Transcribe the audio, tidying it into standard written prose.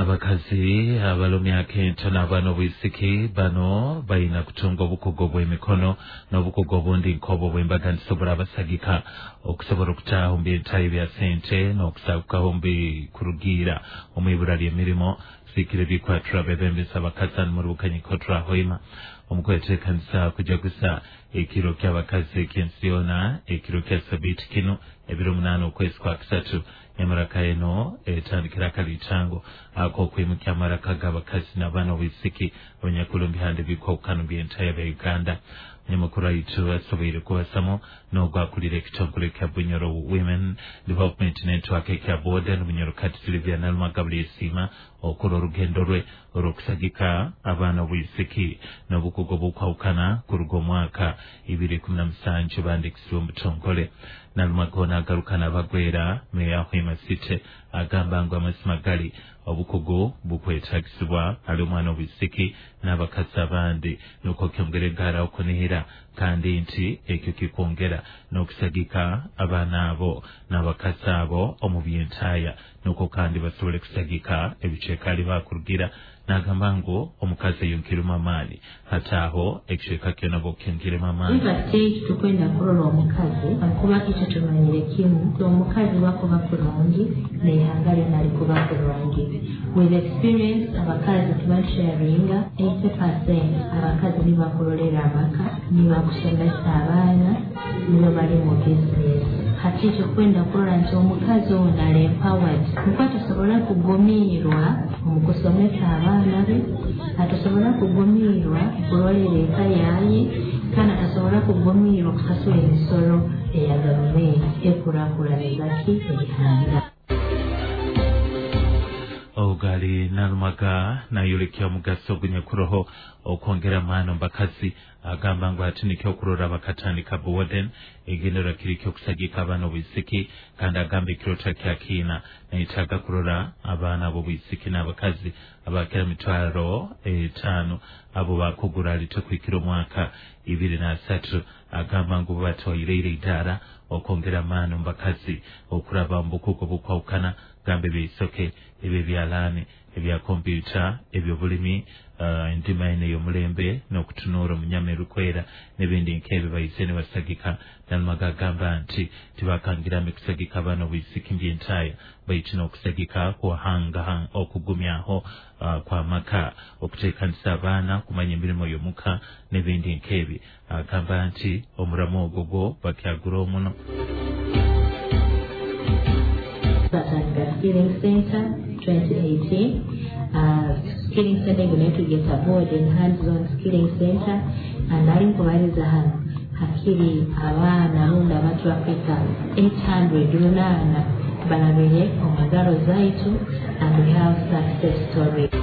Abakazi abali omu myaka ento n'abaana obwisiki bano baina kutunga obukugu obw'emikono n'obukugu obundi nk'obwo obw'embaganiza oburabasagika okusobola okutaaha omu by'entayo bya sente n'okusagukaho omu bikurugiira omu ibura ly'emirimo. Siikire bikwatura bebembesa abakazi hanu muri Bukanyiko Turahoima omu kweteekanisa kujaguza ekiro ky'abakazi eky'ensi yoona, ekiro kya sabiiti kinu 8 okwezi kwa kusatu. Emaraka eno etandikira akalitango ak'okwimukya amaraka g'abakazi n'abaana obwisiki abanyakuli omu bihanda ebikwahukana by'entaya bya Uganda. Munyamakuru aitu asoboire kubasamu n'ogwakulira ekitongole kya Bunyoro Women Development Network ekya Boden Bunyoro Kati Silvia Nalumaga Bulyesiima okora orugendo rwe orw'okusagika abaana obwisiki n'obukugu obukwahukana kuruga omwaka 2017 bandikisibwe omu butongole. Nalumaga ono agaruka n'abagwera meya Hoima City agamba ngu amazima gali obukugu bukwetagisibwa ali omwana obwisiki n'abakazi abandi nukwo kyongera egara okunihira kandi nti ekyo kikwongera n'okusagika abaana abo n'abakazi abo omu by'entaaya nukwo kandi basobole kusagika ebicweka ali bakurugira. N'agamba ngu omukazi ayonkeremu amaani hataaho ekicweka kyona bokyongeremu amaani. Iva tukwenda kurora omukazi kuba ekyo tumanyire kimu omukazi wakuba kurungi n'ihanga lyona likuba kurungi. With experience, abakazi tibasharinga 80%. Abakazi nibakurolera amaka, nibakusomesa abaana, nibo bali mu business. Hati ekyo kwenda kurora nti omukazi ono ali empowered nukwo atasobora kugumiirwa omu kusomesa abaana be, atasobora kugumiirwa kurolera eka yaye, kandi atasobora kugumiirwa kusasura emisoro eya gavumenti ekurakuraniza ki erihanga. Ogali Nalumaga nayolekya omugaso ogunyakuroho okwongera amaani omu bakazi. Agamba ngu hati nikyo okurora bakatandika Boden egendererwa kiri ky'okusagika abaana obwisiki kandi agamba ekirota kya kiina nayetaaga kurora abaana ab'obwisiki n'abakazi abakira 50,000 abo bakugura alite kuhikira omwaka 23. Agamba ngu batwaireire idaara okwongera amaani omu bakazi okuraba omu bukugu obukwahukana gamba ebyeisoke, ebyebyalaani, ebya kompyuta, ebyobulimi, endima eno ey'omulembe n'okutunuura omunyama erukwera n'ebindi nk'ebyo baize nibasagika. Nalumaga agamba nti tibakangirame kusagika abaana obwisiki mby'entaaya baitu n'okusagika kuhanga okugumyaho kw'amaka, okuteekanisa abaana kumanya emirimo y'omuka n'ebindi nk'ebi. Agamba nti omuramu ogwo gwo bakyagura omuno. Batandika Skilling Center 2018. Skilling Center iguna tugeta board and hands-on skilling center, and nali nkubaliza hano hakiri abaana rundi abantu bafika 800 runana barabire omu ngaro zaitu, and we have success story.